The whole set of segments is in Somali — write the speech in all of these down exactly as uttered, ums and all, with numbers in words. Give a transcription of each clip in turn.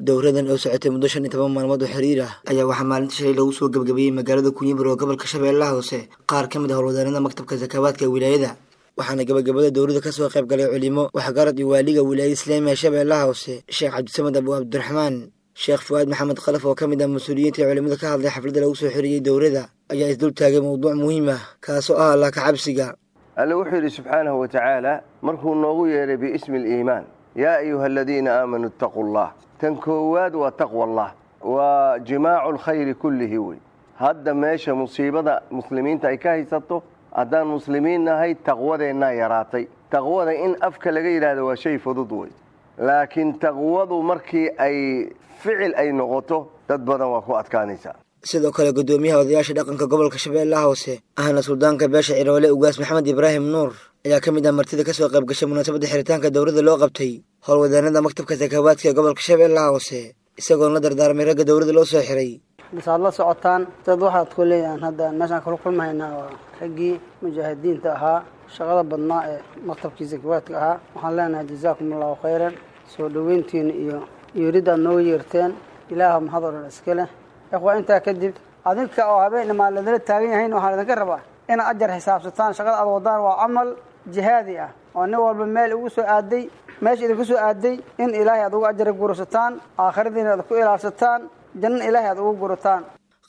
Dowradan oo socotay muddo shan iyo toban maalmood oo xiriir ah ayaa waxaa maalinta shalay lagu soo gebgabeeyey magaalada Kunyibar oo gobolka Shabeellaha Hoose qaar ka mid ah howlwadaanada maktabka sakawaadka ee wilaayada. Waxaana gabagabada dowladda ka soo qayb galay culimo, waxgarad iyo waaliga wilaayada islaamiga ee Shabeellaha Hoose, Sheekh Cabdisamad Abu Cabdiraxmaan. Sheekh Fuaad Maxamed Khalaf oo ka mid ah mas-uuliyiinta ee culimada ka hadlay xafladda lagu soo xiriyey dowladda ayaa isdul taagay mowduuc muhiim ah kaasoo ah Allah ka cabsiga. Alle wuxuu yidhi subxaanahu wa tacaala markuu noogu yeedhay biismi aliimaan, yaa ayuha aladiina aamanuu ittaquu allah. Tan koowaad waa taqwa allah, waa jimaacu alkhayri kullihi wey. Hadda meesha musiibada muslimiinta ay ka haysato, haddaan muslimiin nahay taqwadeennaa yaraatay. Taqwada in afka laga yidhaahdo waa shay fudud wey, laakiin taqwadu markii ay ficil ay noqoto dad badan waa ku adkaanaysaa. Sidoo kale guddoomiyaha odayaasha dhaqanka gobolka Shabeellaha Hoose ahna suldaanka beesha Ciroole Ugaas Maxamed Ibraahim Nuur ayaa ka mid ah martida ka soo qayb gashay munaasabadda xiritaanka dowladda loo qabtay howlwadaanada maktabka sakawaadka ee gobolka Shabeellaha Hoose, isagoon la dardaarmay ragga dowladda loo soo xiray. Bas aad la socotaan dad waxaad ku leeyahan hadda meeshaan kala kulmahaynaa waa raggii mujaahidiinta ahaa, shaqada badnaa ee maktabkii sakawaadka ahaa. Waxaan leenahay jazaakum allahu khayran, soo dhoweyntiina iyo yeeridda aad nooga yeerteen, ilaah mahad oo dhan iska leh. Ikhwa, intaa kadib adinka oo habeen imaan ladala taagan yahayn, waxaan idinka rabaa inaad ajar xisaabsataan. Shaqada aad wadaan waa camal jihaadi ah oo nin walba meel ugu soo aaday, meesha idinku soo aaday in ilaahay aad ugu ajar gurasataan, aakhiradiina aad ku ilaalsataan, janna ilaahay aad ugu gurataan.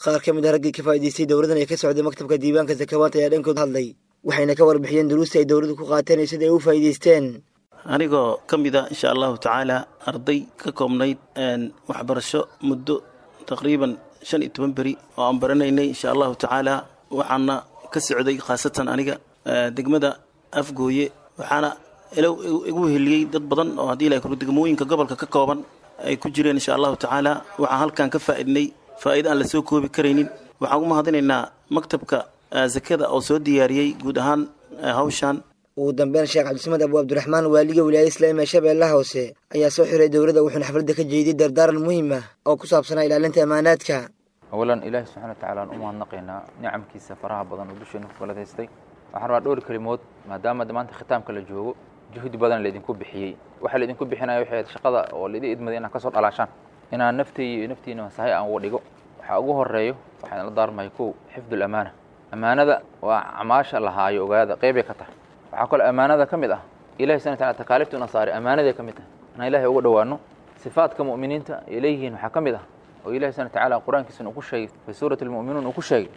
Qaar ka mid ah raggii ka faa'iidaystay dowladan ee ka socday maktabka diiwaanka sakawaanta ayaa dhankood hadlay, waxayna ka warbixiyeen duruusta ay dowladdu ku qaateen iyo sida ay u faa'iidaysteen. Anigoo ka mid ah insha allahu tacaala arday ka koobnayd waxbarasho muddo taqriiban shan iyo toban beri oo aan baranaynay insha allahu tacaala, waxaana ka socday khaasatan aniga degmada Afgooye, waxaana igu heliyey dad badan oo haddii ilahay kuro degmooyinka gobolka ka kooban ay ku jireen insha allahu tacaala. Waxaan halkan ka faa'iidnay faa'iida aan la soo koobi karaynin. Waxaan ugu mahadinaynaa maktabka sakada oo soo diyaariyey guud ahaan hawshan. Ugu dambeyn Sheekh Cabdisamad Abu Cabdiraxmaan waaliga wilaayada islaamiga ee Shabeellaha Hoose ayaa soo xiray dowladda, wuxuuna xafladda ka jeediyey dardaaran muhiim ah oo ku saabsanaa ilaalinta amaanaadka. Awalan ilaahi subxana wa tacala aan u mahadnaqaynaa nicamkiisa faraha badan oo dusheena ku galadaystay. Waxaan rabaa dhowr kelimood, maadaama maanta khitaamka la joogo, juhdi badan laydinku bixiyey. Waxaa laydinku bixinaya waxay ahayd shaqada oo laidin idmaday inaad kasoo dhalaashaan, inaan naftayda iyo naftiina sahay aan uga dhigo. Waxaa ugu horeeyo waxaan la daarmahay kow xifdul amaana. Amaanada waa camaasha lahaayo, ogaada qeybay ka tahay. Waxaa kaloo amaanada ka mid ah ilahi subxana wataala takaalifta una saaray, amaanaday ka mid tahay inaan ilahay uga dhowaano. Sifaadka mu'miniinta ay leeyihiin waxaa ka mid ah oo ilahi subxana watacaala qur-aankiisuna uu ku sheegay fi suurati almu'minuun uu ku sheegay,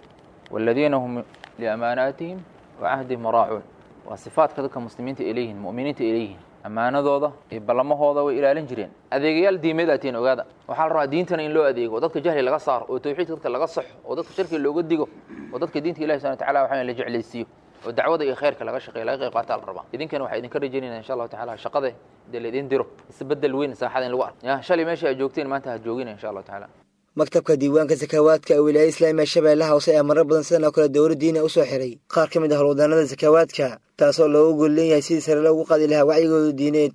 waaladiina hum liamaanaatihim wa cahdihim raacuun. Waa sifaadka dadka muslimiinta ay leeyihiin, mu'miniinta ay leeyihiin. Ammaanadooda iyo ballamahooda way ilaalin jireen. Adeegayaal diimeed aatiin ogaada. Waxaa la rabaa diintana in loo adeego, oo dadka jahli laga saaro, oo tawxiidka dadka laga saxo, oo dadka shirkiga looga digo, oo dadka diinta ilahi subxana watacaala waxaa la jeclaysiiyo, oo dacwada iyo khayrka laga shaqeeyo, laga qayb qaata la rabaa. Idinkana waxaa idinka rajaynayna insha allahu tacaala shaqada dee laydin diro isbedel weyn saaxada in lagu arko. Ya shalay meesha aad joogteen maanta ha joogina insha allahu tacaala. Maktabka diiwaanka sakawaadka ee wilaayada islaamiga Shabeellaha Hoose ayaa marar badan sidan oo kale dowlad diini u soo xiray qaar ka mid ah howlwadaanada sakawaadka, taasoo loogu gol leeyahay sidii sare loogu qaadi lahaa wacyigooda diineed.